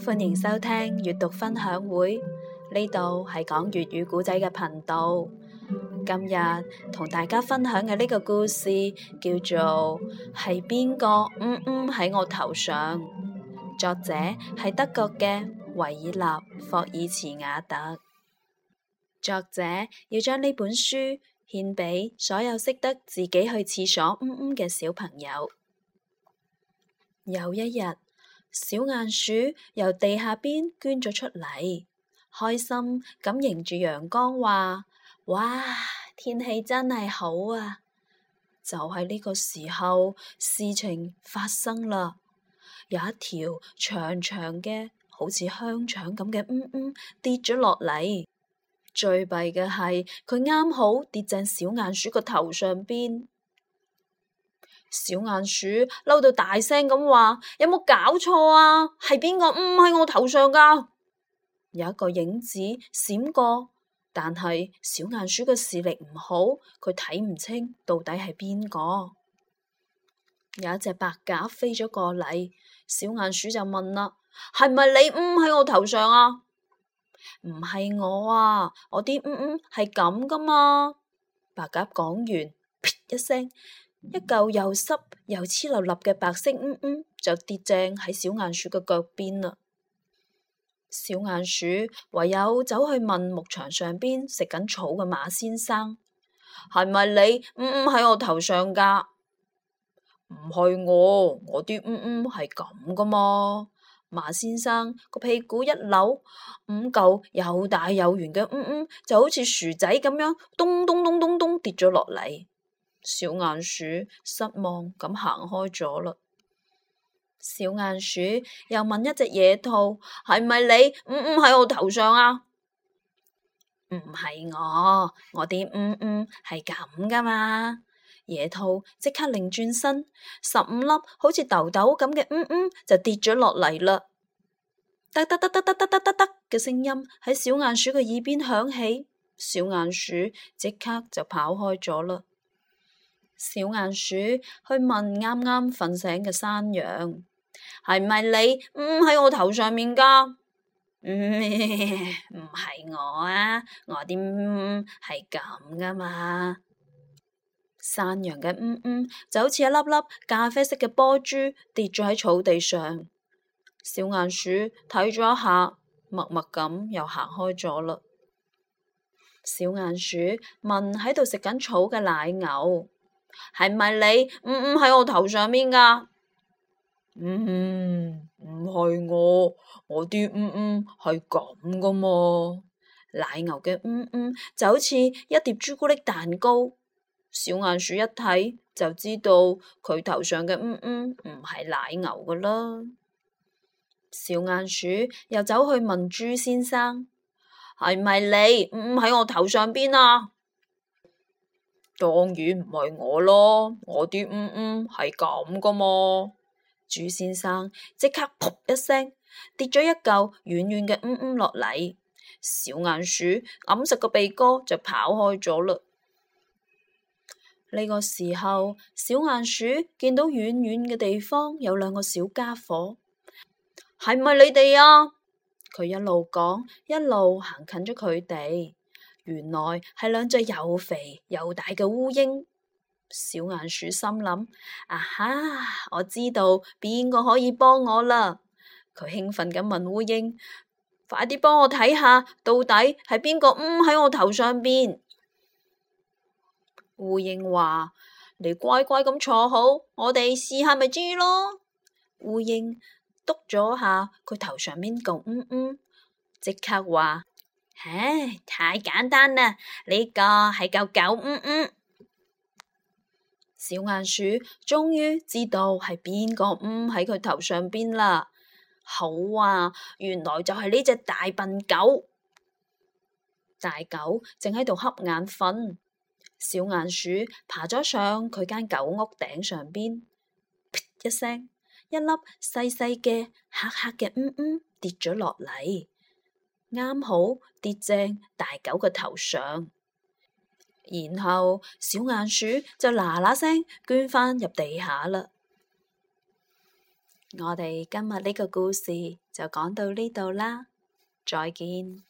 歡迎收聽閱讀分享會，呢度係講粵語故仔嘅頻道。今日同大家分享嘅呢個故事叫做係邊個喺我頭上，作者係德國嘅維爾納霍爾茨瓦特。作者要將呢本書獻俾所有識得自己去廁所嘅小朋友。有一日，小鼴鼠由地下邊捐咗出嚟，開心咁迎住陽光話：哇，天氣真係好啊！就喺呢個時候，事情發生啦。有一條長長嘅好似香腸咁嘅跌咗落嚟。最弊嘅係佢啱好跌正小鼴鼠個頭上邊。小鼴鼠嬲到大聲咁話：有冇搞錯啊？係邊個喺我頭上噶？有一個影子閃過，但係小鼴鼠嘅視力唔好，佢睇唔清到底係邊個。有一隻白鴿飛咗過嚟，小鼴鼠就問啦：係咪你喺我頭上啊？唔係我啊，我啲係咁噶嘛。白鴿講完，噗一聲，一嚿又濕又黐立立嘅白色就跌正喺小鼴鼠嘅腳邊啦。小鼴鼠唯有走去問牧場上邊食緊草嘅馬先生：係咪你喺我頭上噶？唔係我啲係咁噶嘛。馬先生個屁股一扭，5嚿又大又圓嘅就好似薯仔咁樣咚咚咚咚咚跌咗落嚟。小鼴鼠失望咁行開咗啦。小鼴鼠又問一隻野兔：係咪你喺我頭上啊？唔係我啲係咁噶嘛。野兔即刻擰轉身，15粒好似豆豆咁嘅就跌咗落嚟啦。得得得得得得得得得嘅聲音喺小鼴鼠嘅耳邊響起，小鼴鼠即刻就跑開咗啦。小鼴鼠去問啱啱瞓醒嘅山羊：係咪你喺我頭上面噶？唔係我啊，我啲係咁噶嘛。山羊嘅就好似一粒粒咖啡色嘅波珠跌咗喺草地上。小鼴鼠睇咗一下，默默咁又行開咗啦。小鼴鼠問喺度食緊草嘅奶牛：係咪你喺我頭上面噶？唔係我啲係咁噶嘛。奶牛嘅就好似一碟朱古力蛋糕。小鼴鼠一睇就知道佢頭上嘅唔係奶牛噶啦。小鼴鼠又走去問豬先生：係咪你喺我頭上邊啊？當然唔係我咯，我啲係咁噶嘛。豬先生即刻噗一聲跌咗一嚿軟軟嘅落嚟。小鼴鼠揞實個鼻哥就跑開咗嘞。呢個時候，小鼴鼠見到遠遠嘅地方有兩個小家伙。係咪你哋啊？佢一路講，一路行近咗佢哋。原來係兩隻又肥又大嘅烏蠅。小鼴鼠心諗：啊哈，我知道邊個可以幫我啦！佢興奮咁問烏蠅：快啲幫我睇下，到底係邊個喺我頭上邊？烏蠅話：你乖乖咁坐好，我哋試下咪知咯。烏蠅篤咗下佢頭上面個即刻話：唉，太簡單啦，呢個係嚿狗小鼴鼠終於知道係邊個喺佢頭上邊啦。好啊，原來就係呢隻大笨狗。大狗正喺度瞌眼瞓。小鼴鼠爬咗上佢間狗屋頂上邊，噗一聲，一粒細細嘅黑黑嘅跌咗落嚟，啱好跌正大狗嘅頭上。然後小鼴鼠就嗱嗱聲捐返入地下啦。我哋今日呢個故事就講到呢度啦，再見。